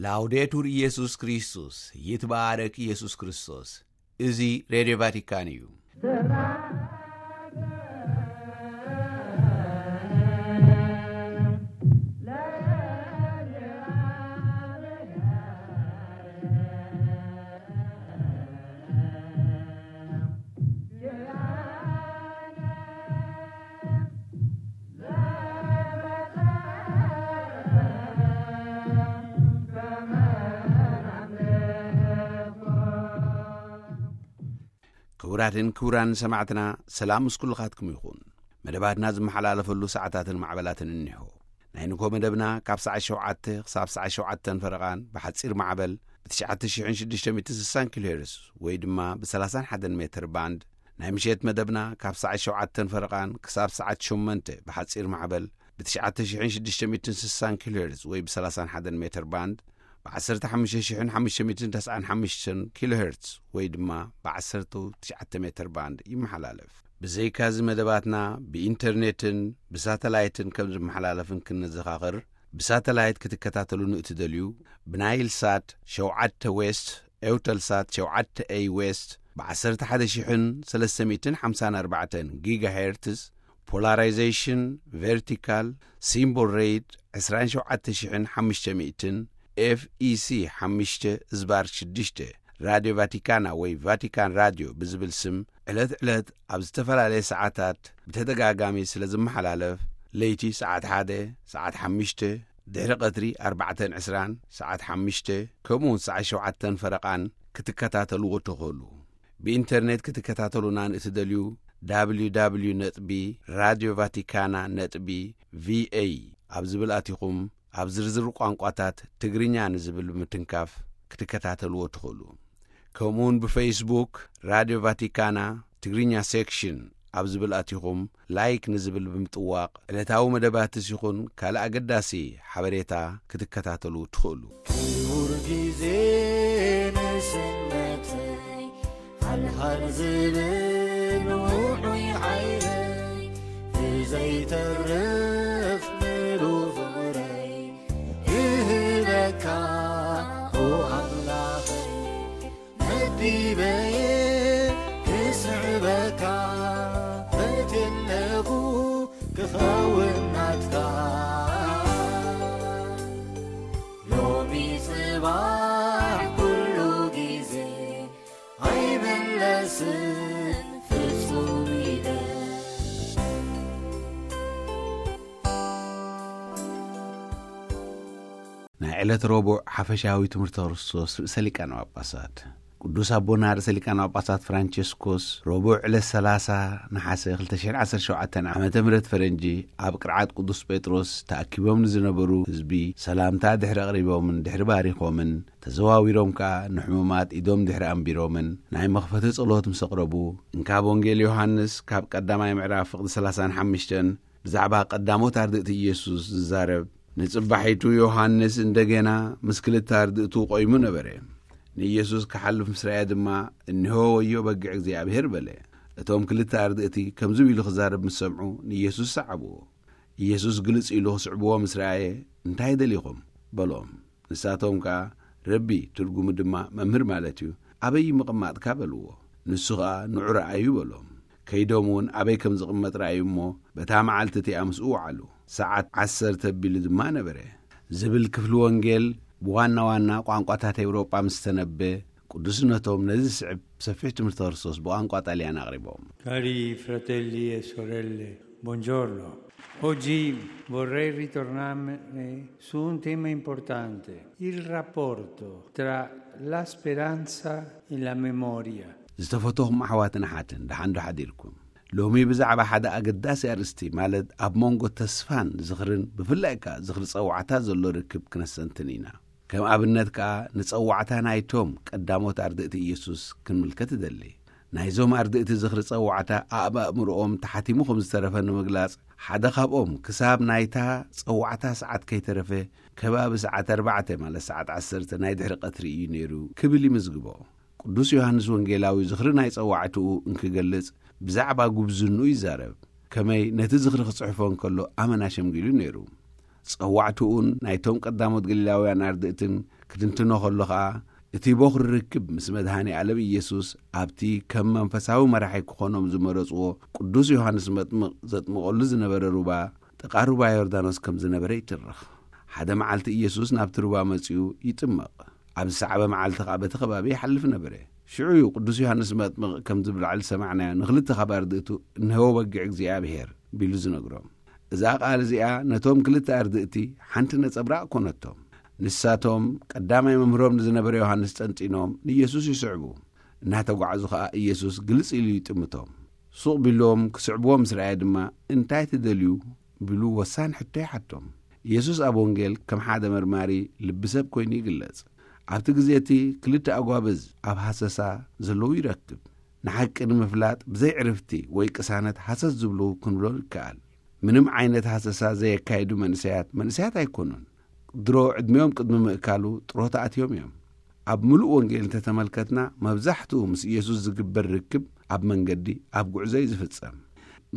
ላውዴቱር ኢየሱስ ክርስቶስ፣ ይትባረክ ኢየሱስ ክርስቶስ። እዚ ሬድዮ ቫቲካን እዩ። ክቡራትን ክቡራን ሰማዕትና፣ ሰላም ምስ ኩልኻትኩም ይኹን። መደባትና ዝመሓላለፈሉ ሰዓታትን ማዕበላትን እኒሆ። ናይ ንግሆ መደብና ካብ ሰዓት ሸውዓተ ክሳብ ሰዓት ሸውዓተን ፈረቓን ብሓጺር ማዕበል ብ ትሽዓተ ሽሕን ሽዱሽተ ሚእትን ስሳን ኪሎ ሄርዝ ወይ ድማ ብ ሰላሳን ሓደን ሜትር ባንድ፣ ናይ ምሸት መደብና ካብ ሰዓት ሸውዓተን ፈረቓን ክሳብ ሰዓት ሸሞንተ ብሓጺር ማዕበል ብ ትሽዓተ ሽሕን ሽዱሽተ ሚእትን ስሳን ኪሎ ሄርዝ ወይ ብ ሰላሳን ሓደን ሜትር ባንድ፣ ብ ዓሰርተ ሓሙሽተ ሽሕን ሓሙሽተ ሚእትን ተስዓን ሓሙሽተን ኪሎ ሄርዝ ወይ ድማ ብ ዓሰርተ ትሽዓተ ሜትር ባንድ ይመሓላለፍ። ብዘይካዚ መደባትና ብኢንተርኔትን ብሳተላይትን ከም ዝመሓላለፍን ክንዘኻኽር፣ ብሳተላይት ክትከታተሉ ንእትደልዩ፣ ብናይል ሳት ሸውዓተ ዌስት፣ ኤውተልሳት ሸውዓተ ኤይ ዌስት፣ ብ ዓሰርተ ሓደ ሽሕን ሰለስተ ሚእትን ሓምሳን ኣርባዕተን ጊጋሄርትዝ፣ ፖላራይዜሽን ቨርቲካል፣ ሲምቦል ሬት ዕስራን ሸውዓተ ሽሕን ሓሙሽተ ሚእትን፣ ኤፍ ኢ ሲ ሓሙሽተ ዝባር ሽዱሽተ፣ ራድዮ ቫቲካና ወይ ቫቲካን ራድዮ ብዝብል ስም ዕለት ዕለት ኣብ ዝተፈላለየ ሰዓታት ብተደጋጋሚ ስለ ዝመሓላለፍ፣ ለይቲ ሰዓት ሓደ፣ ሰዓት ሓሙሽተ፣ ድሕሪ ቀትሪ ኣርባዕተን ዕስራን፣ ሰዓት ሓሙሽተ፣ ከምኡ እውን ሰዓት ሸውዓተን ፈረቓን ክትከታተልዎ ትኽእሉ። ብኢንተርኔት ክትከታተሉና ንእትደልዩ፣ www ነጥቢ ራድዮ ቫቲካና ነጥቢ ቪኤ ኣብ ዝብል ኣቲኹም፣ ኣብ ዝርዝር ቋንቋታት ትግርኛ ንዝብል ብምትንካፍ ክትከታተልዎ ትኽእሉ። ከምኡውን ብፌስቡክ ራድዮ ቫቲካና ትግርኛ ሴክሽን ኣብ ዝብል ኣቲኹም፣ ላይክ ንዝብል ብምጥዋቕ፣ ዕለታዊ መደባትስ ይኹን ካልእ ኣገዳሲ ሓበሬታ ክትከታተሉ ትኽእሉ። ክቡር ግዜ ንስነተይ፣ ሃልሃል ዝብል ውዑይ ሓይለይ፣ ብዘይተርፍ ምሉእ ፍቕረይ ክህበካ፣ ኦ ኣምላኸይ፣ መዲበየ ክስዕበካ፣ ፈትየለኹ ክኸውን ናትካ። ሎሚ ጽባሕ ኩሉ ግዜ ኣይምለስን ፍጹም ኢለ። ናይ ዕለት ረቡዕ ሓፈሻዊ ትምህርቲ ክርስቶስ ርእሰ ሊቃነ ጳጳሳት። ቅዱስ ኣቦና ርእሰ ሊቃነ ጳጳሳት ፍራንቸስኮስ ረቡዕ ዕለት ሰላሳ ነሓሰ ክልተ ሽሕን ዓሰርተ ሸውዓተን ዓመተ ምህረት ፈረንጂ ኣብ ቅርዓት ቅዱስ ጴጥሮስ ተኣኪቦም ንዝነበሩ ህዝቢ ሰላምታ ድሕሪ ኣቕሪቦምን ድሕሪ ባሪኾምን፣ ተዘዋዊሮም ከኣ ንሕሙማት ኢዶም ድሕሪ ኣንቢሮምን ናይ መኽፈቲ ጸሎት ምስ ኣቕረቡ፣ እንካብ ወንጌል ዮሃንስ ካብ ቀዳማይ ምዕራፍ ፍቕዲ ሰላሳን ሓሙሽተን ብዛዕባ ቀዳሞት ኣርድእቲ ኢየሱስ ዝዛረብ፣ ንጽባሒቱ ዮሃንስ እንደገና ምስ ክልተ ኣርድእቱ ቆይሙ ነበረ። ንኢየሱስ ክሓልፍ ምስ ረኣየ ድማ፣ "እንሆ ወዮ በጊዕ እግዚኣብሔር" በለ። እቶም ክልተ ኣርድእቲ ከምዚ ኢሉ ክዛረብ ምስ ሰምዑ፣ ንኢየሱስ ሰዓብዎ። ኢየሱስ ግልጽ ኢሉ ክስዕብዎ ምስ ረኣየ፣ "እንታይ ደሊኹም?" በሎም። ንሳቶም ከኣ፣ "ረቢ" ትርጉሙ ድማ "መምህር" ማለት እዩ፣ "ኣበይ ምቕማጥካ?" በልዎ። ንሱ ኸኣ፣ "ንዑ ረኣዩ" በሎም። ከይዶም እውን ኣበይ ከም ዝቕመጥ ረኣዩ እሞ፣ በታ መዓልቲ እቲኣ ምስኡ ወዓሉ። ሰዓት ዓሰርተ ኣቢሉ ድማ ነበረ። ዝብል ክፍሊ ወንጌል ብዋና ዋና ቋንቋታት ኤውሮጳ ምስ ተነበ፣ ቅዱስነቶም ነዚ ዝስዕብ ሰፊሕ ትምህርቲ ክርስቶስ ብቋንቋ ጣልያን ኣቕሪቦም። Cari fratelli e sorelle, buongiorno. Oggi vorrei ritornare su un tema importante, il rapporto tra la speranza e la memoria. ዝተፈተኹም ኣሕዋትን ኣሓትን፣ ደሓን ዶ ሓዲርኩም? ሎሚ ብዛዕባ ሓደ ኣገዳሲ ኣርእስቲ፣ ማለት ኣብ መንጎ ተስፋን ዝኽርን፣ ብፍላይ ከኣ ዝኽሪ ጸዋዕታ ዘሎ ርክብ ክነስተንትን ኢና። ከም ኣብነት ከኣ ንጸዋዕታ ናይቶም ቀዳሞት ኣርድእቲ ኢየሱስ ክንምልከት እደሊ። ናይዞም ኣርድእቲ ዝኽሪ ጸዋዕታ ኣብ ኣእምሮኦም ተሓቲሙ ከም ዝተረፈ ንምግላጽ፣ ሓደ ካብኦም ክሳብ ናይታ ጸዋዕታ ሰዓት ከይተረፈ ከባቢ ሰዓት ኣርባዕተ፣ ማለት ሰዓት ዓሰርተ ናይ ድሕሪ ቀትሪ እዩ ነይሩ ክብል ይምዝግቦ። ቅዱስ ዮሃንስ ወንጌላዊ ዝኽሪ ናይ ጸዋዕትኡ እንክገልጽ ብዛዕባ ጉብዝንኡ ይዛረብ። ከመይ ነቲ ዝኽሪ ክጽሕፎ እንከሎ ኣመና ሸምጊሉ ነይሩ። ጸዋዕትኡን ናይቶም ቀዳሞት ገሊላውያን ኣርድእትን ክትንትኖ ከሎ ኸኣ፣ እቲ ቦኽሪ ርክብ ምስ መድሃኔ ኣለም ኢየሱስ ኣብቲ ከም መንፈሳዊ መራሒ ክኾኖም ዝመረጽዎ ቅዱስ ዮሃንስ መጥምቕ ዘጥምቐሉ ዝነበረ ሩባ፣ ጥቓ ሩባ ዮርዳኖስ ከም ዝነበረ ይትርኽ። ሓደ መዓልቲ ኢየሱስ ናብቲ ሩባ መጺኡ ይጥመቕ። ኣብ ዝሰዓበ መዓልቲ ኸኣ በቲ ከባቢ ይሓልፍ ነበረ። ሽዑ እዩ ቅዱስ ዮሃንስ መጥምቕ ከም ዝብል ላዕሊ ዝሰማዕናዮ ንኽልተ ካብ ኣርድእቱ እንሆ በጊዕ እግዚኣብሔር ቢሉ ዝነግሮም። እዛ ቃል እዚኣ ነቶም ክልተ ኣርድእቲ ሓንቲ ነጸብራቕ ኮነቶም። ንሳቶም ቀዳማይ መምህሮም ንዝነበረ ዮሃንስ ጠንጢኖም ንኢየሱስ ይስዕቡ። እናተጓዕዙ ኸኣ ኢየሱስ ግልጽ ኢሉ ይጥምቶም። ሱቕ ቢሎም ክስዕብዎ ምስ ረኣየ ድማ እንታይ ትደልዩ ቢሉ ወሳኒ ሕቶ ይሓቶም። ኢየሱስ ኣብ ወንጌል ከም ሓደ መርማሪ ልቢ ሰብ ኮይኑ ይግለጽ። ኣብቲ ግዜ እቲ ክልተ ኣጓብዝ ኣብ ሃሰሳ ዘለዉ ይረክብ። ንሓቂ ንምፍላጥ ብዘይ ዕርፍቲ ወይ ቅሳነት ሃሰስ ዝብሉ ክንብሎ ይከኣል። ምንም ዓይነት ሃሰሳ ዘየካይዱ መንእሰያት መንእሰያት ኣይኮኑን። ድሮ ዕድሜኦም ቅድሚ ምእካሉ ጥሮታ ኣትዮም እዮም። ኣብ ምሉእ ወንጌል እንተተመልከትና መብዛሕትኡ ምስ ኢየሱስ ዝግበር ርክብ ኣብ መንገዲ ኣብ ጉዕዞ እዩ ዝፍጸም።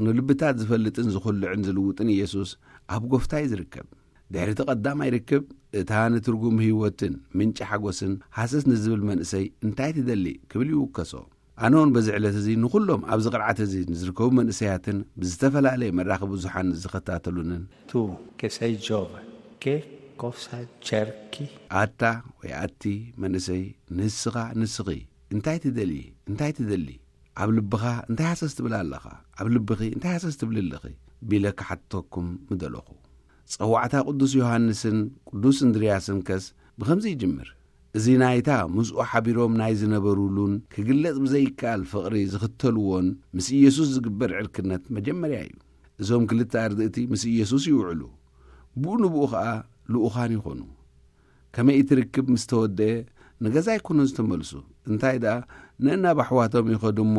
ንልብታት ዝፈልጥን ዝኹልዕን ዝልውጥን ኢየሱስ ኣብ ጎፍታ እዩ ዝርከብ። ድሕሪ እቲ ቀዳማይ ርክብ እታ ንትርጉም ህይወትን ምንጪ ሓጎስን ሃሰስ ንዝብል መንእሰይ እንታይ ትደሊ ክብል ይውከሶ። ኣነ እውን በዚ ዕለት እዚ ንኹሎም ኣብዚ ቅርዓት እዚ ንዝርከቡ መንእሰያትን ብዝተፈላለየ መራኸቢ ብዙሓን ዝኸታተሉንን Tu che sei giovane, che cosa cerchi? ኣታ ወይ ኣቲ መንእሰይ ንስኻ ንስኺ እንታይ ትደልዪ እንታይ ትደሊ ኣብ ልብኻ እንታይ ሃሰስ ትብል ኣለኻ ኣብ ልብኺ እንታይ ሃሰስ ትብል ኣለኺ ቢለ ክሓትተኩም ምደለኹ። ጸዋዕታ ቅዱስ ዮሃንስን ቅዱስ እንድርያስን ከስ ብኸምዚ ይጅምር። እዚ ናይታ ምስኡ ሓቢሮም ናይ ዝነበሩሉን ክግለጽ ብዘይከኣል ፍቕሪ ዝኽተልዎን ምስ ኢየሱስ ዝግበር ዕርክነት መጀመርያ እዩ። እዞም ክልተ ኣርድእቲ ምስ ኢየሱስ ይውዕሉ፣ ብኡ ንብኡ ኸኣ ልኡኻን ይኾኑ። ከመይ እቲ ርክብ ምስ ተወደአ ንገዛ ኣይኮኑን ዝተመልሱ፣ እንታይ ደኣ ነናብ ኣሕዋቶም ይኸዱ እሞ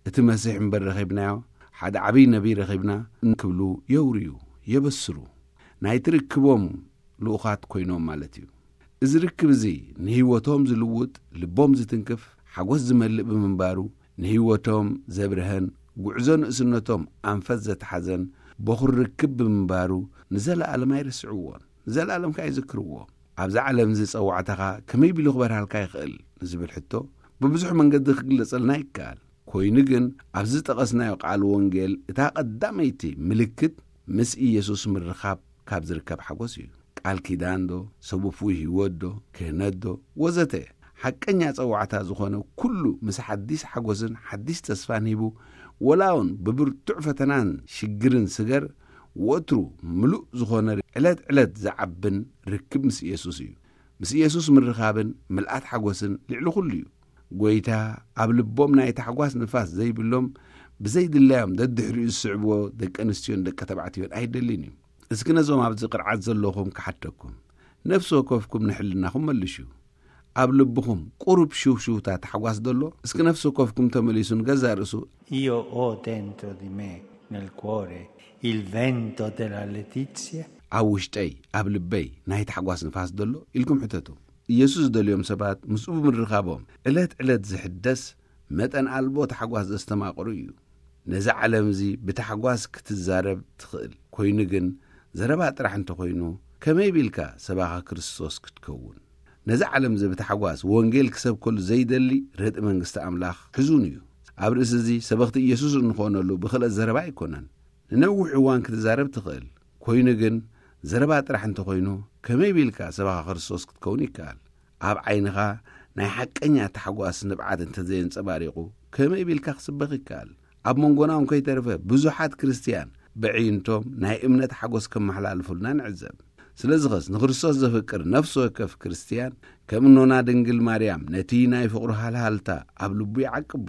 እቲ መሲሕ እምበር ረኺብናዮ፣ ሓደ ዓብዪ ነቢይ ረኺብና እንክብሉ የውርዩ፣ የበስሩ። ናይቲ ርክቦም ልኡኻት ኮይኖም ማለት እዩ። እዚ ርክብ እዚ ንህይወቶም ዝልውጥ፣ ልቦም ዝትንክፍ፣ ሓጎስ ዝመልእ ብምንባሩ ንህይወቶም ዘብርሀን ጉዕዞ ንእስነቶም ኣንፈት ዘትሓዘን በኹር ርክብ ብምንባሩ ንዘለኣለም ኣይርስዕዎን። ንዘለኣለም ከኣ ይዝክርዎ። ኣብዛ ዓለም እዚ ጸዋዕታኻ ከመይ ቢሉ ክበርሃልካ ይኽእል ንዝብል ሕቶ ብብዙሕ መንገዲ ክግለጸልና ይከኣል። ኮይኑ ግን ኣብዚ ዝጠቐስናዮ ቃል ወንጌል እታ ቀዳመይቲ ምልክት ምስ ኢየሱስ ምርኻብ ካብ ዝርከብ ሓጎስ እዩ። ቃል ኪዳን ዶ፣ ሰብ ውፉይ ህይወት ዶ፣ ክህነት ዶ፣ ወዘተ ሓቀኛ ጸዋዕታ ዝኾነ ኩሉ ምስ ሓዲስ ሓጎስን ሓዲስ ተስፋን ሂቡ፣ ወላ እውን ብብርቱዕ ፈተናን ሽግርን ስገር፣ ወትሩ ምሉእ ዝኾነ ዕለት ዕለት ዝዓብን ርክብ ምስ ኢየሱስ እዩ። ምስ ኢየሱስ ምርኻብን ምልኣት ሓጎስን ልዕሊ ኩሉ እዩ። ጎይታ ኣብ ልቦም ናይ ታሕጓስ ንፋስ ዘይብሎም ብዘይድላዮም ደድሕሪኡ ዝስዕብዎ ደቂ ኣንስትዮን ደቂ ተባዕትዮን ኣይደልን እዩ። እስኪ ነዞም ኣብዚ ቅርዓት ዘለኹም ክሓተኩም፣ ነፍሲ ወከፍኩም ንሕልናኹም መልሹ። ኣብ ልብኹም ቁሩብ ሽውሽውታ ታሕጓስ ደሎ? እስኪ ነፍሲ ወከፍኩም ተመሊሱ ንገዛእ ርእሱ Io ho dentro di me, nel cuore, il vento della letizia? ኣብ ውሽጠይ ኣብ ልበይ ናይ ታሕጓስ ንፋስ ደሎ ኢልኩም ሕተቱ። ኢየሱስ ዝደልዮም ሰባት ምስኡ ብምርኻቦም ዕለት ዕለት ዝሕደስ መጠን ኣልቦ ታሕጓስ ዘስተማቕሩ እዩ። ነዚ ዓለም እዚ ብታሕጓስ ክትዛረብ ትኽእል፣ ኮይኑ ግን ዘረባ ጥራሕ እንተኾይኑ ከመይ ቢልካ ሰባኻ ክርስቶስ ክትከውን? ነዚ ዓለም እዚ ብታሕጓስ ወንጌል ክሰብከሉ ዘይደሊ ርትዒ መንግስቲ ኣምላኽ ሕዙን እዩ። ኣብ ርእሲ እዚ ሰበኽቲ ኢየሱስ እንኾነሉ ብኽልኦት ዘረባ ኣይኮነን። ንነዊሕ እዋን ክትዛረብ ትኽእል፣ ኮይኑ ግን ዘረባ ጥራሕ እንተኾይኑ ከመይ ቢልካ ሰባኻ ክርስቶስ ክትከውን ይከኣል? ኣብ ዓይንኻ ናይ ሓቀኛ ታሕጓስ ንብዓት እንተዘየንጸባሪቑ ከመይ ቢልካ ክስበኽ ይከኣል? ኣብ መንጎና እውን ከይተረፈ ብዙሓት ክርስትያን በዕይንቶም ናይ እምነት ሓጎስ ከመሓላልፉልና ንዕዘብ። ስለዚኸስ ንክርስቶስ ዘፍቅር ነፍሲ ወከፍ ክርስትያን ከም እኖና ድንግል ማርያም ነቲ ናይ ፍቕሩ ሃልሃልታ ኣብ ልቡ ይዓቅቦ።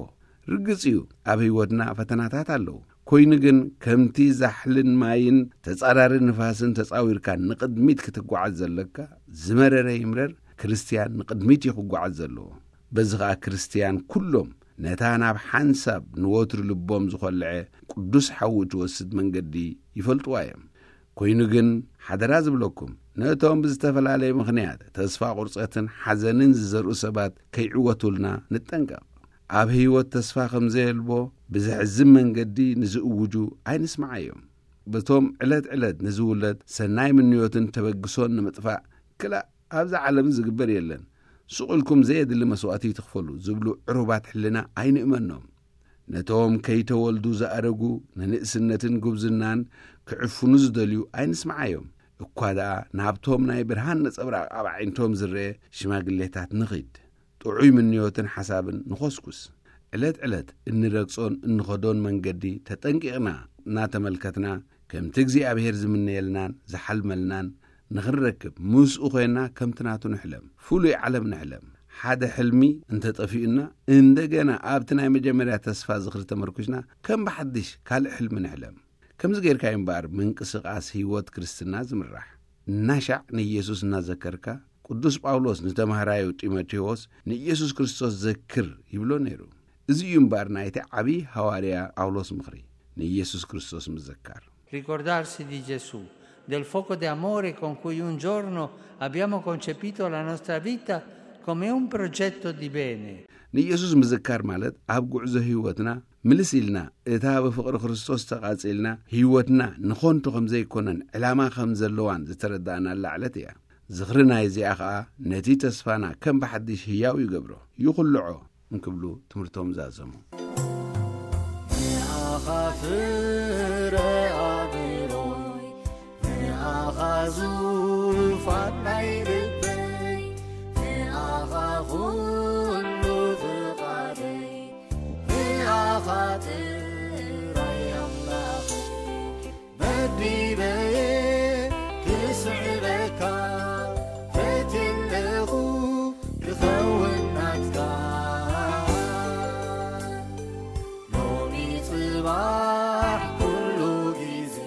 ርግጽ እዩ ኣብ ህይወትና ፈተናታት ኣለዉ። ኮይኑ ግን ከምቲ ዛሕልን ማይን ተጻራሪ ንፋስን ተጻዊርካ ንቕድሚት ክትጓዓዝ ዘለካ ዝመረረ ይምረር ክርስትያን ንቕድሚት እዩ ክጓዓዝ ዘለዎ። በዚ ኸኣ ክርስትያን ኩሎም ነታ ናብ ሓንሳብ ንወትሩ ልቦም ዝኾልዐ ቅዱስ ሓዊ እትወስድ መንገዲ ይፈልጥዋ እዮም። ኮይኑ ግን ሓደራ ዝብለኩም ነቶም ብዝተፈላለየ ምኽንያት ተስፋ ቁርጸትን ሓዘንን ዝዘርኡ ሰባት ከይዕወቱልና ንጠንቀቕ። ኣብ ህይወት ተስፋ ከም ዘየልቦ ብዘሕዝን መንገዲ ንዝእውጁ ኣይንስምዓዮም። በቶም ዕለት ዕለት ንዝውለድ ሰናይ ምንዮትን ተበግሶን ንምጥፋእ ክላእ ኣብዛ ዓለም ዝግበር የለን፣ ስቕ ኢልኩም ዘየድሊ መስዋእቲ ይትኽፈሉ ዝብሉ ዕሩባት ሕልና ኣይንእመኖም። ነቶም ከይተወልዱ ዝኣረጉ ንንእስነትን ጉብዝናን ክዕፍኑ ዝደልዩ ኣይንስምዓዮም። እኳ ደኣ ናብቶም ናይ ብርሃን ነጸብራቕ ኣብ ኣዒንቶም ዝረአ ሽማግሌታት ንኺድ። ጥዑይ ምንዮትን ሓሳብን ንኾስኩስ። ዕለት ዕለት እንረግጾን እንኸዶን መንገዲ ተጠንቂቕና እናተመልከትና፣ ከምቲ እግዚኣብሔር ዝምነየልናን ዝሓልመልናን ንኽንረክብ፣ ምስኡ ኾይንና ከምቲ ናቱ ንሕለም፣ ፍሉይ ዓለም ንሕለም። ሓደ ሕልሚ እንተጠፊኡና፣ እንደገና ኣብቲ ናይ መጀመርያ ተስፋ ዝኽሪ ተመርኩስና፣ ከም ብሓድሽ ካልእ ሕልሚ ንሕለም። ከምዚ ጌርካ እዩ እምበኣር ምንቅስቓስ ህይወት ክርስትና ዝምራሕ። እናሻዕ ንኢየሱስ እናዘከርካ፣ ቅዱስ ጳውሎስ ንተማሃራዩ ጢሞቴዎስ ንኢየሱስ ክርስቶስ ዘክር ይብሎ ነይሩ። እዚ እዩ እምበኣር ናይቲ ዓብዪ ሃዋርያ ጳውሎስ ምኽሪ፣ ንኢየሱስ ክርስቶስ ምዝካር። Ricordarsi di Gesù, del fuoco d'amore con cui un giorno abbiamo concepito la nostra vita come un progetto di bene. ንኢየሱስ ምዝካር ማለት ኣብ ጉዕዞ ህይወትና ምልስ ኢልና እታ ብፍቕሪ ክርስቶስ ተቓጺልና ህይወትና ንኾንቱ ከም ዘይኮነን ዕላማ ከም ዘለዋን ዝተረዳእናላ ዕለት እያ። ዝኽሪ ናይዚኣ ኸኣ ነቲ ተስፋና ከም ብሓድሽ ህያው ይገብሮ፣ ይኹልዖ እንክብሉ ትምህርቶም ዛዘሙ። ንኣኻ ፍረ ኣእምሮይ፣ ንኣኻ ዙፋን ናይ ልበይ፣ ንኣኻ ኩሉ ፍቓደይ፣ ንኣኻ ጥራይ ኣምላኸይ መዲበየ ክስዕበካ ፈትየለኹ ክኸውን ናትካ። ሎሚ ጽባሕ ኩሉ ግዜ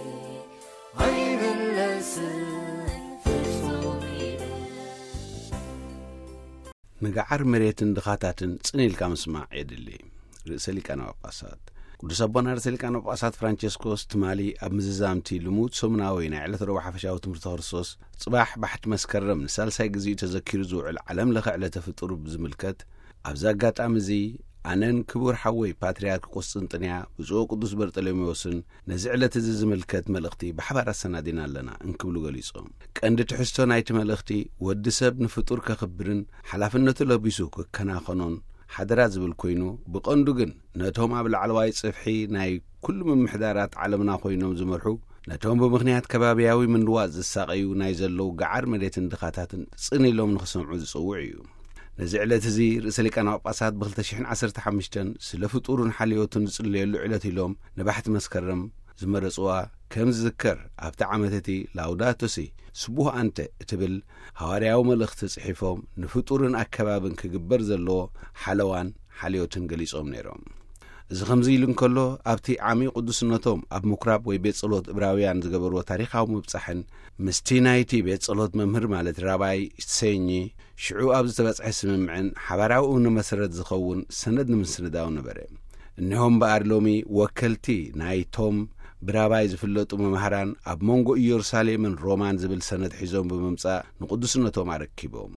ኣይምለስን ፍጹም ኢለ። ንገዓር መሬትን ድኻታትን ጽን ኢልካ ምስማዕ የድሊ። ርእሰ ሊቃነ ጳጳሳት ቅዱስ ኣቦና ርእሰ ሊቃነ ጳጳሳት ፍራንቸስኮስ ትማሊ ኣብ ምዝዛምቲ ልሙድ ሰሙናዊ ናይ ዕለት ረቡዕ ሓፈሻዊ ትምህርቲ ክርስቶስ፣ ጽባሕ ባሕቲ መስከረም ንሳልሳይ ግዜኡ ተዘኪሩ ዝውዕል ዓለም ለኸ ዕለተ ፍጡር ብዝምልከት፣ ኣብዚ ኣጋጣሚ እዚ ኣነን ክቡር ሓወይ ፓትርያርክ ቁስጥንጥንያ ብፁዕ ቅዱስ በርጠሎሜዎስን ነዚ ዕለት እዚ ዝምልከት መልእኽቲ ብሓባር ኣሰናዲና ኣለና እንክብሉ ገሊጾም። ቀንዲ ትሕዝቶ ናይቲ መልእኽቲ ወዲ ሰብ ንፍጡር ከኽብርን ሓላፍነቱ ለቢሱ ክከናኸኖን ሓደራ ዝብል ኮይኑ፣ ብቐንዱ ግን ነቶም ኣብ ላዕለዋይ ጽፍሒ ናይ ኩሉ ምምሕዳራት ዓለምና ኮይኖም ዝመርሑ፣ ነቶም ብምኽንያት ከባብያዊ ምንድዋጽ ዝሳቐዩ ናይ ዘለዉ ገዓር መሬትን ድኻታትን ጽን ኢሎም ንኽሰምዑ ዝጽውዕ እዩ። ነዚ ዕለት እዚ ርእሰ ሊቃነ ጳጳሳት ብ2015 ስለ ፍጡሩን ሓልዮቱን ዝጽለየሉ ዕለት ኢሎም ንባሕቲ መስከረም ዝመረጽዋ ከም ዝዝከር፣ ኣብቲ ዓመት እቲ ላውዳቶ ሲ ስቡህ ኣንተ እትብል ሃዋርያዊ መልእኽቲ ጽሒፎም፣ ንፍጡርን ኣከባብን ክግበር ዘለዎ ሓለዋን ሓልዮትን ገሊጾም ነይሮም። እዚ ከምዚ ኢሉ እንከሎ፣ ኣብቲ ዓሚ ቅዱስነቶም ኣብ ምኩራብ ወይ ቤት ጸሎት እብራውያን ዝገበርዎ ታሪኻዊ ምብጻሕን ምስቲ ናይቲ ቤት ጸሎት መምህር ማለት ራባይ ሰኚ ሽዑ ኣብ ዝተበጽሐ ስምምዕን ሓባራዊ እምነ መሰረት ዝኸውን ሰነድ ንምስንዳው ነበረ። እኒሆም እምበኣር ሎሚ ወከልቲ ናይቶም ብራባይ ዝፍለጡ መማህራን ኣብ መንጎ ኢየሩሳሌምን ሮማን ዝብል ሰነድ ሒዞም ብምምጻእ ንቅዱስነቶም ኣረኪቦም።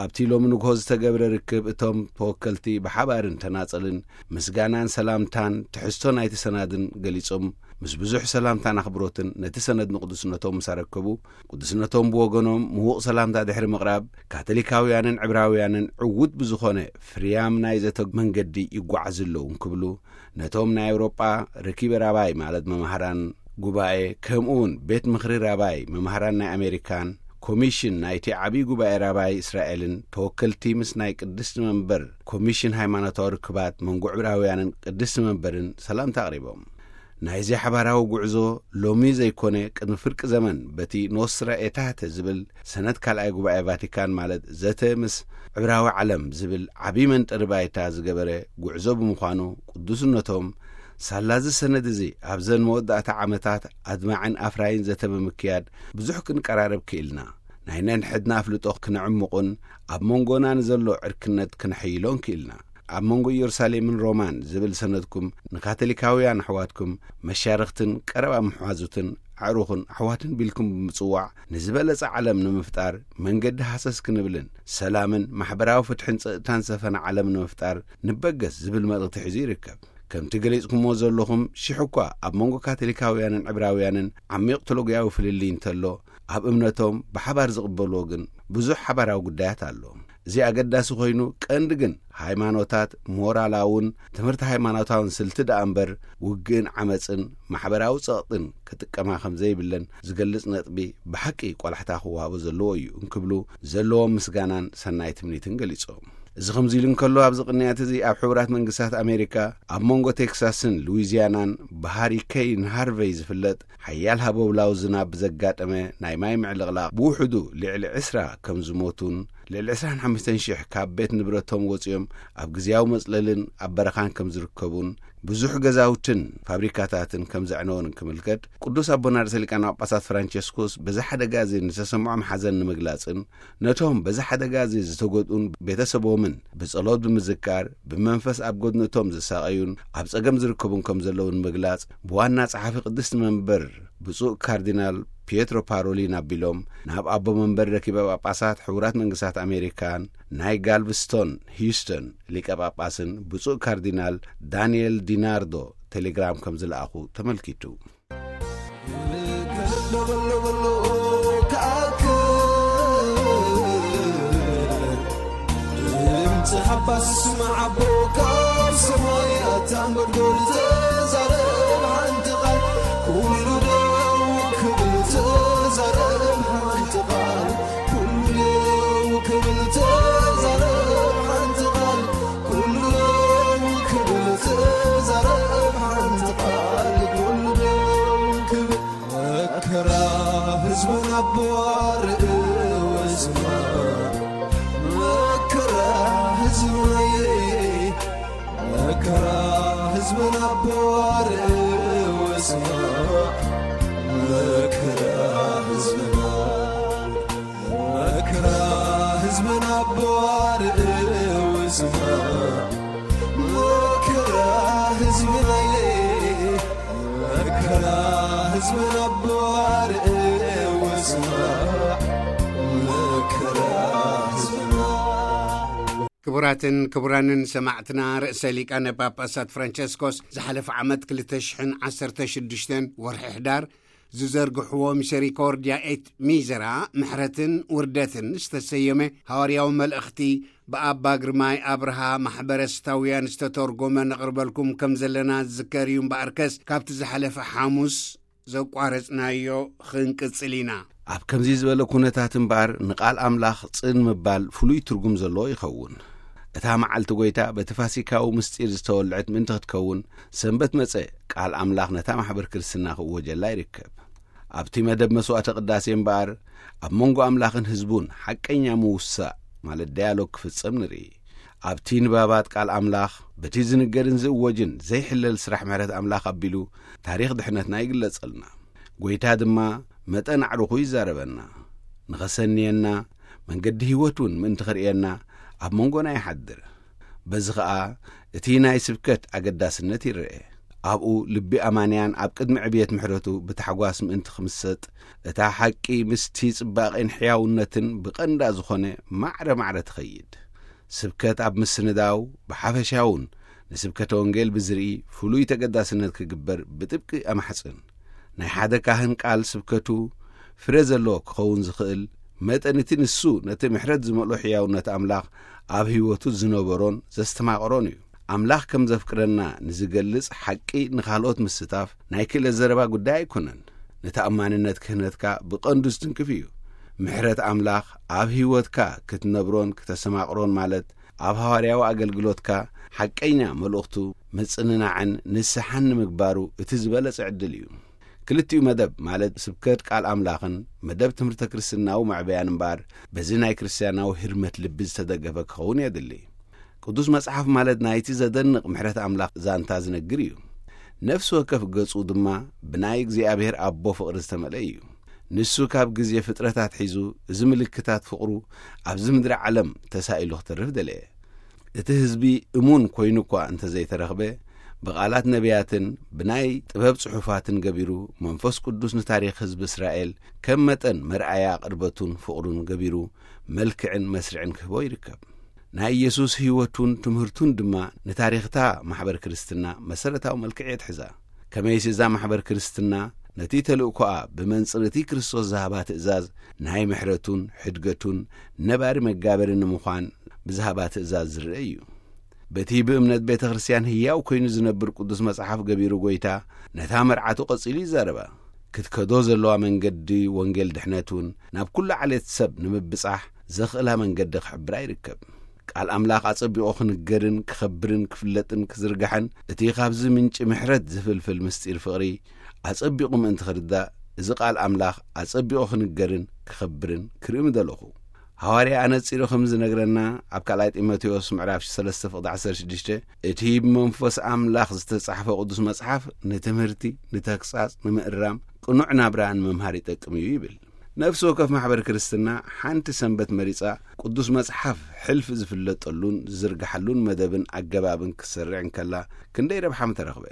ኣብቲ ሎሚ ንግሆ ዝተገብረ ርክብ እቶም ተወከልቲ ብሓባርን ተናጸልን ምስጋናን ሰላምታን ትሕዝቶ ናይቲ ሰናድን ገሊጾም፣ ምስ ብዙሕ ሰላምታን ኣኽብሮትን ነቲ ሰነድ ንቅዱስነቶም ምስ ኣረከቡ፣ ቅዱስነቶም ብወገኖም ምዉቕ ሰላምታ ድሕሪ ምቕራብ፣ ካቶሊካውያንን ዕብራውያንን ዕዉት ብዝኾነ ፍርያም ናይ ዘተ መንገዲ ይጓዓዙ ኣለዉ እንክብሉ፣ ነቶም ናይ ኣውሮጳ ረኪበ ራባይ ማለት መማህራን ጉባኤ፣ ከምኡ እውን ቤት ምኽሪ ራባይ መማህራን ናይ ኣሜሪካን ኮሚሽን ናይቲ ዓብዪ ጉባኤ ራባይ እስራኤልን ተወከልቲ ምስ ናይ ቅድስቲ መንበር ኮሚሽን ሃይማኖታዊ ርክባት መንጎ ዕብራውያንን ቅድስቲ መንበርን ሰላምታ ኣቕሪቦም። ናይዚ ሓባራዊ ጉዕዞ ሎሚ ዘይኮነ ቅድሚ ፍርቂ ዘመን በቲ ኖስትራ ኤታተ ዝብል ሰነድ ካልኣይ ጉባኤ ቫቲካን ማለት ዘተ ምስ ዕብራዊ ዓለም ዝብል ዓብዪ መንጠሪ ባይታ ዝገበረ ጉዕዞ ብምዃኑ ቅዱስነቶም ሳላዚ ሰነድ እዚ ኣብዘን መወዳእታ ዓመታት ኣድማዕን ኣፍራይን ዘተ ብምክያድ ብዙሕ ክንቀራረብ ክኢልና፣ ናይ ነንሕድና ኣፍልጦ ክነዕምቑን ኣብ መንጎና ንዘሎ ዕርክነት ክነሐይሎን ክኢልና። ኣብ መንጎ ኢየሩሳሌምን ሮማን ዝብል ሰነድኩም ንካቶሊካውያን ኣሕዋትኩም መሻርኽትን ቀረባ ምሕዋዙትን ኣዕሩኽን ኣሕዋትን ቢልኩም ብምጽዋዕ ንዝበለጸ ዓለም ንምፍጣር መንገዲ ሃሰስ ክንብልን ሰላምን ማሕበራዊ ፍትሕን ጸጥታን ዝሰፈነ ዓለም ንምፍጣር ንበገስ ዝብል መልእኽቲ ሒዙ ይርከብ። ከምቲ ገሊጽኩምዎ ዘለኹም ሽሕ እኳ ኣብ መንጎ ካቶሊካውያንን ዕብራውያንን ዓሚቕ ቴሎጊያዊ ፍልልይ እንተሎ፣ ኣብ እምነቶም ብሓባር ዝቕበልዎ ግን ብዙሕ ሓባራዊ ጉዳያት ኣሎ። እዚ ኣገዳሲ ኮይኑ፣ ቀንዲ ግን ሃይማኖታት ሞራላውን ትምህርቲ ሃይማኖታውን ስልቲ ደኣ እምበር፣ ውግእን ዓመጽን ማሕበራዊ ጸቕጥን ክጥቀማ ከም ዘይብለን ዝገልጽ ነጥቢ ብሓቂ ቆላሕታ ክወሃቦ ዘለዎ እዩ እንክብሉ ዘለዎም ምስጋናን ሰናይ ትምኒትን ገሊጾም። እዚ ከምዚ ኢሉ እንከሎ፣ ኣብዚ ቅንያት እዚ ኣብ ሕቡራት መንግስታት ኣሜሪካ ኣብ መንጎ ቴክሳስን ሉዊዚያናን ብሃሪከይን ሃርቨይ ዝፍለጥ ሓያል ሃበብላዊ ዝናብ ብዘጋጠመ ናይ ማይ ምዕልቕላቕ ብውሕዱ ልዕሊ ዕስራ ከም ዝሞቱን ልዕሊ ዕስራን ሓሙሽተን ሽሕ ካብ ቤት ንብረቶም ወጺኦም ኣብ ግዝያዊ መጽለልን ኣብ በረኻን ከም ዝርከቡን ብዙሕ ገዛውትን ፋብሪካታትን ከም ዘዕነወን ክምልከት፣ ቅዱስ ኣቦና ርእሰ ሊቃነ ጳጳሳት ፍራንቸስኮስ በዚ ሓደጋ እዚ ንተሰምዖም ሓዘን ንምግላጽን ነቶም በዚ ሓደጋ እዚ ዝተጎድኡን ቤተሰቦምን ብጸሎት ብምዝካር ብመንፈስ ኣብ ጎድንቶም ዝሳቐዩን ኣብ ጸገም ዝርከቡን ከም ዘለዉ ንምግላጽ ብዋና ጸሓፊ ቅድስቲ መንበር ብፁዕ ካርዲናል ፒየትሮ ፓሮሊን ኣቢሎም ናብ ኣቦ መንበር ረኪበ ጳጳሳት ሕቡራት መንግስታት ኣሜሪካን ናይ ጋልቭስቶን ሂዩስተን ሊቀ ጳጳስን ብፁዕ ካርዲናል ዳንኤል ዲናርዶ ቴሌግራም ከም ዝለኣኹ ተመልኪቱ። ክቡራትን ክቡራንን ሰማዕትና፣ ርእሰ ሊቃነ ጳጳሳት ፍራንቸስኮስ ዝሓለፈ ዓመት ክልተ ሽሕን ዓሰርተ ሽዱሽተን ወርሒ ሕዳር ዝዘርግሕዎ ሚሰሪኮርድያ ኤት ሚዘራ፣ ምሕረትን ውርደትን ዝተሰየመ ሃዋርያዊ መልእኽቲ ብኣባ ግርማይ ኣብርሃ ማሕበረ ስታውያን ዝተተርጎመ ነቕርበልኩም ከም ዘለና ዝዝከር እዩ። እምበኣርከስ ካብቲ ዝሓለፈ ሓሙስ ዘቋረጽናዮ ክንቅጽል ኢና። ኣብ ከምዚ ዝበለ ኩነታት እምበኣር ንቓል ኣምላኽ ጽን ምባል ፍሉይ ትርጉም ዘለዎ ይኸውን። እታ መዓልቲ ጐይታ በቲ ፋሲካዊ ምስጢር ዝተወልዐት ምእንቲ ክትከውን ሰንበት መጸ ቃል ኣምላኽ ነታ ማሕበር ክርስትና ክእወጀላ ይርከብ። ኣብቲ መደብ መስዋዕተ ቅዳሴ እምበኣር ኣብ መንጎ ኣምላኽን ህዝቡን ሓቀኛ ምውሳእ ማለት ዳያሎግ ክፍጸም ንርኢ። ኣብቲ ንባባት ቃል ኣምላኽ በቲ ዝንገርን ዝእወጅን ዘይሕለል ስራሕ ምሕረት ኣምላኽ ኣቢሉ ታሪኽ ድሕነትና ይግለጸልና። ጐይታ ድማ መጠን ኣዕሩኹ ይዛረበና። ንኸሰንየና፣ መንገዲ ህይወት እውን ምእንቲ ኽርእየና ኣብ መንጎና ይሓድር። በዚ ኸኣ እቲ ናይ ስብከት ኣገዳስነት ይረኤ። ኣብኡ ልቢ ኣማንያን ኣብ ቅድሚ ዕብየት ምሕረቱ ብታሕጓስ ምእንቲ ኽምሰጥ፣ እታ ሓቂ ምስቲ ጽባቄን ሕያውነትን ብቐንዳ ዝኾነ ማዕረ ማዕረ ትኸይድ። ስብከት ኣብ ምስንዳው ብሓፈሻውን ንስብከተ ወንጌል ብዝርኢ ፍሉይ ተገዳስነት ክግበር ብጥብቂ ኣማሕጽን። ናይ ሓደ ካህን ቃል ስብከቱ ፍረ ዘለዎ ክኸውን ዝኽእል መጠን እቲ ንሱ ነቲ ምሕረት ዝመልኦ ሕያውነት ኣምላኽ ኣብ ህይወቱ ዝነበሮን ዘስተማቕሮን እዩ። ኣምላኽ ከም ዘፍቅረና ንዝገልጽ ሓቂ ንኻልኦት ምስታፍ ናይ ክእለት ዘረባ ጉዳይ ኣይኮነን። ንተኣማንነት ክህነትካ ብቐንዱ ዝትንክፍ እዩ። ምሕረት ኣምላኽ ኣብ ህይወትካ ክትነብሮን ክተስተማቕሮን ማለት ኣብ ሃዋርያዊ ኣገልግሎትካ ሓቀኛ መልእኽቱ ምጽንናዕን ንስሓን ንምግባሩ እቲ ዝበለጸ ዕድል እዩ። ክልቲኡ መደብ ማለት ስብከት ቃል ኣምላኽን መደብ ትምህርተ ክርስትናዊ መዕበያን እምበኣር በዚ ናይ ክርስትያናዊ ህርመት ልቢ ዝተደገፈ ክኸውን የድሊ። ቅዱስ መጽሓፍ ማለት ናይቲ ዘደንቕ ምሕረት ኣምላኽ ዛንታ ዝነግር እዩ። ነፍሲ ወከፍ ገጹ ድማ ብናይ እግዚኣብሔር ኣቦ ፍቕሪ ዝተመልአ እዩ። ንሱ ካብ ግዜ ፍጥረታት ሒዙ እዚ ምልክታት ፍቕሩ ኣብዚ ምድሪ ዓለም ተሳኢሉ ክተርፍ ደለየ። እቲ ህዝቢ እሙን ኮይኑ እኳ እንተ ዘይተረኽበ፣ ብቓላት ነቢያትን ብናይ ጥበብ ጽሑፋትን ገቢሩ መንፈስ ቅዱስ ንታሪኽ ህዝቢ እስራኤል ከም መጠን መርኣያ ቅርበቱን ፍቕሩን ገቢሩ መልክዕን መስርዕን ክህቦ ይርከብ። ናይ ኢየሱስ ህይወቱን ትምህርቱን ድማ ንታሪኽታ ማሕበር ክርስትና መሰረታዊ መልክዕ የትሕዛ። ከመይሲ እዛ ማሕበር ክርስትና ነቲ ተልእኮኣ ብመንጽር እቲ ክርስቶስ ዝሃባ ትእዛዝ ናይ ምሕረቱን ሕድገቱን ነባሪ መጋበሪ ንምዃን ብዝሃባ ትእዛዝ ዝርአ እዩ። በቲ ብእምነት ቤተ ክርስቲያን ህያው ኮይኑ ዝነብር ቅዱስ መጽሓፍ ገቢሩ ጐይታ ነታ መርዓቱ ቀጺሉ ይዛረባ። ክትከዶ ዘለዋ መንገዲ ወንጌል ድሕነት እውን ናብ ኩሉ ዓሌት ሰብ ንምብጻሕ ዘኽእላ መንገዲ ክሕብራ ይርከብ። ቃል ኣምላኽ ኣጸቢቑ ክንገርን ክኸብርን ክፍለጥን ክዝርጋሕን እቲ ካብዚ ምንጪ ምሕረት ዝፍልፍል ምስጢር ፍቕሪ ኣጸቢቑ ምእንቲ ክርዳእ እዚ ቃል ኣምላኽ ኣጸቢቑ ክንገርን ክኸብርን ክርኢ ምደለኹ። ሃዋርያ ኣነጺሩ ከም ዝነግረና ኣብ ካልኣይ ጢሞቴዎስ ምዕራፍ ሰለስተ ፍቕዲ ዓሰርተ ሽዱሽተ እቲ ብመንፈስ ኣምላኽ ዝተጻሕፈ ቅዱስ መጽሓፍ ንትምህርቲ፣ ንተግሳጽ፣ ንምእራም፣ ቅኑዕ ናብራ ንምምሃር ይጠቅም እዩ ይብል። ነፍሲ ወከፍ ማሕበር ክርስትና ሓንቲ ሰንበት መሪጻ ቅዱስ መጽሓፍ ሕልፊ ዝፍለጠሉን ዝዝርግሓሉን መደብን ኣገባብን ክትሰርዕ እንከላ ክንደይ ረብሓ ምተረኽበ።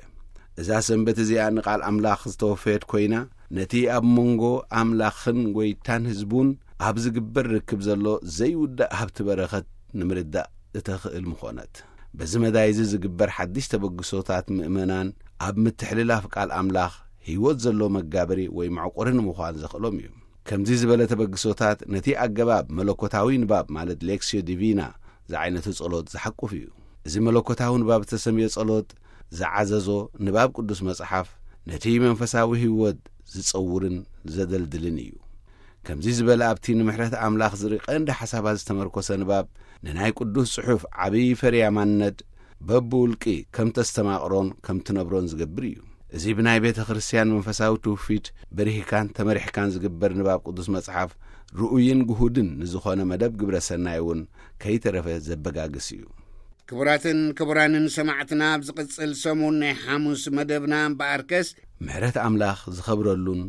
እዛ ሰንበት እዚኣ ንቃል ኣምላኽ ዝተወፈየት ኮይና ነቲ ኣብ መንጎ ኣምላኽን ጐይታን ህዝቡን ኣብ ዝግበር ርክብ ዘሎ ዘይውዳእ ሃብቲ በረኸት ንምርዳእ እተኽእል ምኾነት። በዚ መዳይ እዚ ዝግበር ሓድሽ ተበግሶታት ምእመናን ኣብ ምትሕልላፍ ቃል ኣምላኽ ህይወት ዘሎ መጋበሪ ወይ መዕቆሪ ንምዃን ዘኽእሎም እዩ። ከምዚ ዝበለ ተበግሶታት ነቲ ኣገባብ መለኮታዊ ንባብ ማለት ሌክስዮ ዲቪና ዝዓይነቱ ጸሎት ዝሓቁፍ እዩ። እዚ መለኮታዊ ንባብ እተሰምዮ ጸሎት ዝዓዘዞ ንባብ ቅዱስ መጽሓፍ ነቲ መንፈሳዊ ህይወት ዝጸውርን ዘደልድልን እዩ። ከምዚ ዝበለ ኣብቲ ንምሕረት ኣምላኽ ዝርኢ ቀንዲ ሓሳባት ዝተመርኮሰ ንባብ ንናይ ቅዱስ ጽሑፍ ዓብዪ ፈርያማነት በብውልቂ ከም ተስተማቕሮን ከም ትነብሮን ዝገብር እዩ። እዚ ብናይ ቤተ ክርስቲያን መንፈሳዊ ትውፊት በሪህካን ተመሪሕካን ዝግበር ንባብ ቅዱስ መጽሓፍ ርኡይን ግሁድን ንዝኾነ መደብ ግብረ ሰናይ እውን ከይተረፈ ዘበጋግስ እዩ። ክቡራትን ክቡራንን ሰማዕትና፣ ኣብ ዝቕጽል ሰሙን ናይ ሓሙስ መደብና እምበኣርከስ ምሕረት ኣምላኽ ዝኸብረሉን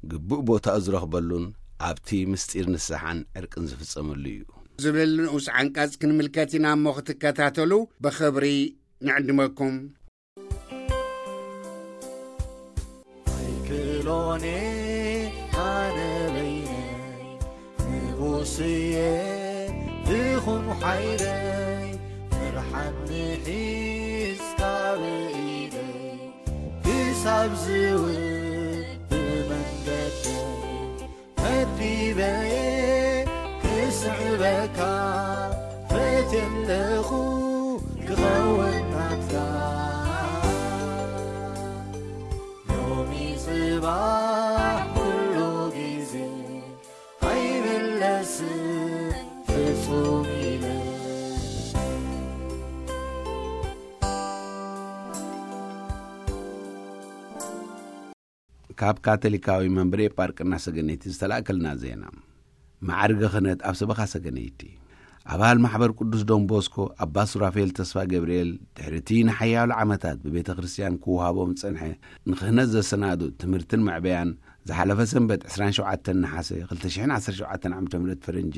ግቡእ ቦታኡ ዝረኽበሉን ኣብቲ ምስጢር ንስሓን ዕርቅን ዝፍጸመሉ እዩ። ዝብል ንኡስ ዓንቀጽ ክንምልከት ኢና እሞ ክትከታተሉ ብኽብሪ ንዕድመኩም። ኣይክእሎን ኣነ በይነይ፣ ንጉስየ ትኹን ሓይለይ፣ ፍርሓት ንሒዝካ ብኢደይ፣ ክሳብ ዝውብ መንገደይ፣ መዲበየ ክስዕበካ ፈትየ ኣለኹ ክኸውን ናትካ። ሎሚ ጽባሕ ኩሉ ግዜ ኣይምለስን ፍጹም ኢለ። ካብ ካቶሊካዊ መንበረ ኤጳርቅና ሰገነይቲ ዝተላእከልና ዜና። ማዕርገ ክህነት ኣብ ሰበኻ ሰገነይቲ። ኣባል ማሕበር ቅዱስ ዶን ቦስኮ ኣባ ሱራፌል ተስፋ ገብርኤል፣ ድሕሪ እቲ ንሓያሎ ዓመታት ብቤተ ክርስቲያን ክወሃቦም ዝጸንሐ ንክህነት ዘሰናዱ ትምህርትን መዕበያን፣ ዝሓለፈ ሰንበት ዕስራን ሸውዓተን ነሓሰ ክልተ ሽሕን ዓሰርተ ሸውዓተን ዓመተ ምህረት ፈረንጂ፣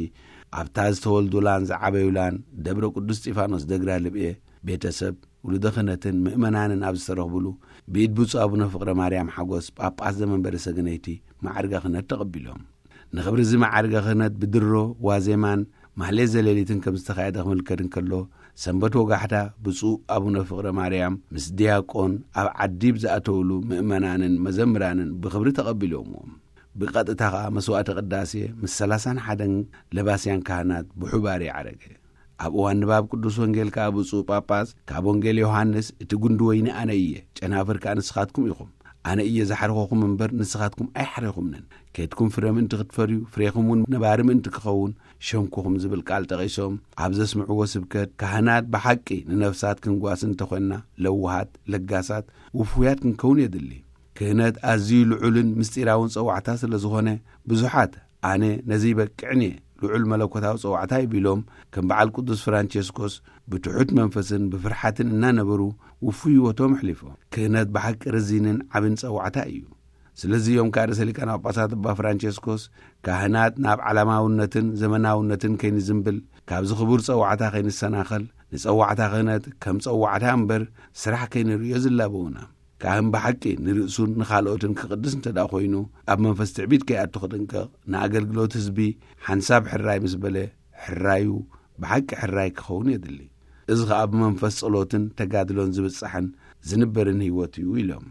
ኣብታ ዝተወልዱላን ዝዓበዩላን ደብረ ቅዱስ እስጢፋኖስ ደግራ ልብኤ ቤተሰብ፣ ውሉደ ክህነትን ምእመናንን ኣብ ዝተረኽቡሉ፣ ብኢድ ብፁዕ ኣቡነ ፍቕረ ማርያም ሓጎስ፣ ጳጳስ ዘመንበረ ሰገነይቲ፣ ማዕርገ ክህነት ተቐቢሎም። ንኽብሪ እዚ ማዕርገ ክህነት ብድሮ ዋዜማን ማህሌት ዘሌሊትን ከም ዝተኻየደ ክምልከት እንከሎ፣ ሰንበት ወጋሕታ ብፁዕ ኣቡነ ፍቕረ ማርያም ምስ ዲያቆን ኣብ ዓዲ ብዝኣተውሉ ምእመናንን መዘምራንን ብኽብሪ ተቐቢሎምዎም። ብቐጥታ ኸኣ መስዋዕተ ቅዳሴ ምስ ሰላሳን ሓደን ለባስያን ካህናት ብሑባር ይዓረገ። ኣብ እዋን ንባብ ቅዱስ ወንጌል ከኣ ብፁዕ ጳጳስ፣ ካብ ወንጌል ዮሃንስ፣ "እቲ ጉንዲ ወይኒ ኣነ እየ፣ ጨናፍር ከኣ ንስኻትኩም ኢኹም። ኣነ እየ ዝሓርኸኹም እምበር ንስኻትኩም ኣይሓረኹምንን። ኬድኩም ፍረ ምእንቲ ክትፈርዩ፣ ፍሬኹም እውን ነባሪ ምእንቲ ክኸውን ሸንኩኹም" ዝብል ቃል ጠቒሶም ኣብ ዘስምዕዎ ስብከት፣ ካህናት ብሓቂ ንነፍሳት ክንጓስ እንተኾንና ለዋሃት፣ ለጋሳት፣ ውፉያት ክንከውን የድሊ። ክህነት ኣዝዩ ልዑልን ምስጢራውን ጸዋዕታ ስለ ዝኾነ፣ ብዙሓት "ኣነ ነዚ ይበቅዕን እየ፣ ልዑል መለኮታዊ ጸዋዕታ እዩ" ቢሎም፣ ከም በዓል ቅዱስ ፍራንቸስኮስ ብትሑት መንፈስን ብፍርሓትን እናነበሩ ውፉይ ህይወቶም ኣሕሊፎም። ክህነት ብሓቂ ረዚንን ዓብን ጸዋዕታ እዩ። ስለዚ እዮም ከኣ ርእሰ ሊቃነ ጳጳሳት ኣባ ፍራንቸስኮስ፣ "ካህናት ናብ ዓለማውነትን ዘመናውነትን ከይንዝንብል፣ ካብዚ ክቡር ጸዋዕታ ከይንሰናኸል፣ ንጸዋዕታ ክህነት ከም ጸዋዕታ እምበር ስራሕ ከይንርእዮ ዝላበዉና። ካህን ብሓቂ ንርእሱን ንኻልኦትን ክቕድስ እንተ ደኣ ኮይኑ፣ ኣብ መንፈስ ትዕቢት ከይኣቱ ክጥንቀቕ፣ ንኣገልግሎት ህዝቢ ሓንሳብ ሕራይ ምስ በለ፣ ሕራዩ ብሓቂ ሕራይ ክኸውን የድሊ። እዚ ኸኣ ብመንፈስ ጸሎትን ተጋድሎን ዝብጻሕን ዝንበርን ህይወት እዩ" ኢሎም።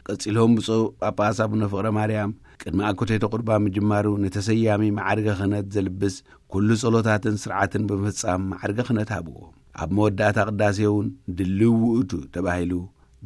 ቀጺሎም ብፁዕ ጳጳስ ኣቡነ ፍቕረ ማርያም ቅድሚ ኣኮቴተ ቁርባን ምጅማሩ ንተሰያሚ መዓርገ ክህነት ዘልብስ ኩሉ ጸሎታትን ስርዓትን ብምፍጻም መዓርገ ክህነት ሃብዎ። ኣብ መወዳእታ ቅዳሴ እውን ድልው ውእቱ ተባሂሉ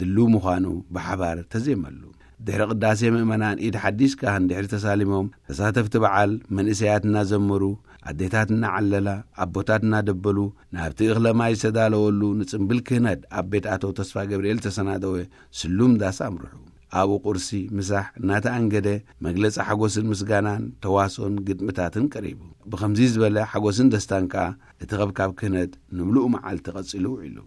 ድልው ምዃኑ ብሓባር ተዜመሉ። ድሕሪ ቅዳሴ ምእመናን ኢድ ሓዲስ ካህን ድሕሪ ተሳሊሞም ተሳተፍቲ በዓል መንእሰያት እናዘመሩ ኣዴታት እናዓለላ ኣቦታት እናደበሉ ናብቲ እኽለ ማይ ዝተዳለወሉ ንጽምብል ክህነት ኣብ ቤት ኣቶ ተስፋ ገብርኤል ተሰናደወ ስሉም ዳስ ኣምርሑ። ኣብኡ ቁርሲ ምሳሕ እናተኣንገደ መግለጺ ሓጎስን ምስጋናን ተዋስኦን ግጥምታትን ቀሪቡ። ብኸምዚ ዝበለ ሓጎስን ደስታን ከኣ እቲ ኸብካብ ክህነት ንምሉእ መዓልቲ ቀጺሉ ውዒሉ።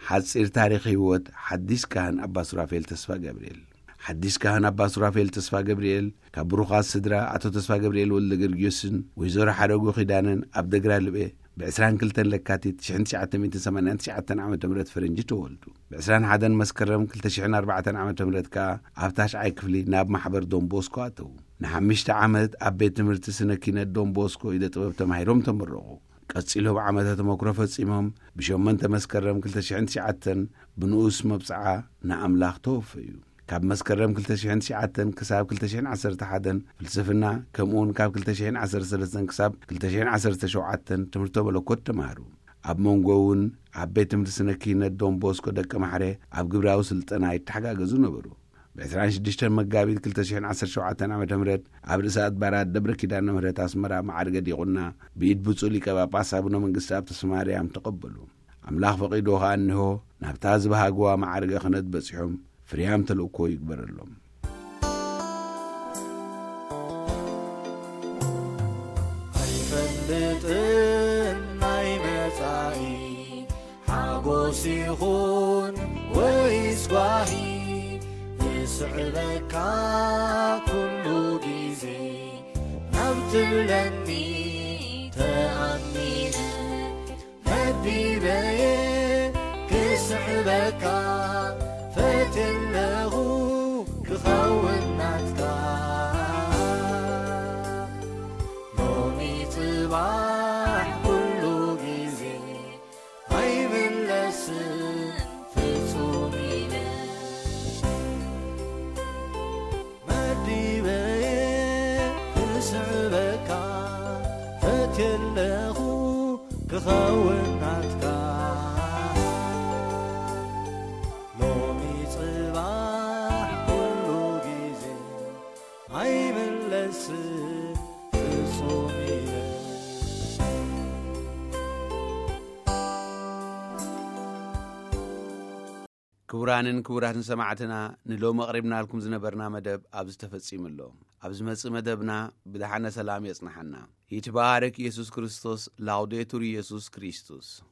ሓጺር ታሪኽ ህይወት ሓዲስ ካህን ኣባ ሱራፌል ተስፋ ገብርኤል። ሓዲስ ካህን ኣባ ሱራፌል ተስፋ ገብርኤል ካብ ብሩኻት ስድራ ኣቶ ተስፋ ገብርኤል ወልደ ገርጊዮስን ወይዘሮ ሓረጉ ኪዳነን ኣብ ደግራ ልቤ ብ22 ለካቲት 1989 ዓ ም ፈረንጂ ተወልዱ። ብ21 መስከረም 2004 ዓ ም ከኣ ኣብ ታሽዓይ ክፍሊ ናብ ማሕበር ዶን ቦስኮ ኣተዉ። ንሓምሽተ ዓመት ኣብ ቤት ትምህርቲ ስነ ኪነት ዶን ቦስኮ ኢደ ጥበብ ተማሂሮም ተመረቑ። ቀጺሎም ዓመተ ተመክሮ ፈጺሞም ብሸሞንተ መስከረም 2009 ብንኡስ መብጽዓ ንኣምላኽ ተወፈዩ። ካብ መስከረም 2009 ክሳብ 2011 ፍልስፍና፣ ከምኡውን ካብ 2013 ክሳብ 2017 ትምህርተ መለኮት ተማህሩ። ኣብ መንጎ እውን ኣብ ቤት ትምህርቲ ስነ ኪነት ዶን ቦስኮ ደቂ ማሕረ ኣብ ግብራዊ ስልጠና ይተሓጋገዙ ነበሩ። ብ26 መጋቢት 2017 ዓ ም ኣብ ርእሰ ኣድባራት ደብረ ኪዳነ ምህረት ኣስመራ መዓርገ ዲቁና ብኢድ ብፁዕ ሊቀ ጳጳስ ኣቡነ መንግስቲ ኣብ ተስፋ ማርያም ተቐበሉ። ኣምላኽ ፈቒዱ ከኣ እንሆ ናብታ ዝበሃግዋ መዓርገ ክህነት በጺሖም ፍርያም ተልእኮ ይግበረሎም። ኣይፈልጥን ናይ መጻኢ ሓጎስ ይኹን ወይስ ጓሂ፣ እስዕበካ ኩሉ ግዜ ናብ ትብለኒ ተኣሚነ መዲበየ ክስዕበካ ፈትየ ኣለኹ ክኸውን ናትካ። ሎሚ ጽባሕ ኩሉ ግዜ ኣይምለስን ፍጹም ኢለ መዲበየ ክስዕበካ ፈትየ ኣለኹ ክኸውን ናትካ። ሎሚ ጽባሕ ኩሉ ግዜ ኣይምለስን ፍጹም ኢለ። ክቡራንን ክቡራትን ሰማዕትና፣ ንሎሚ ኣቕሪብናልኩም ዝነበርና መደብ ኣብዚ ተፈጺሙ ኣሎ። ኣብ ዝመጽእ መደብና ብደሓነ ሰላም የጽንሓና። ይትባረክ ኢየሱስ ክርስቶስ። ላውዴቱር ኢየሱስ ክርስቶስ።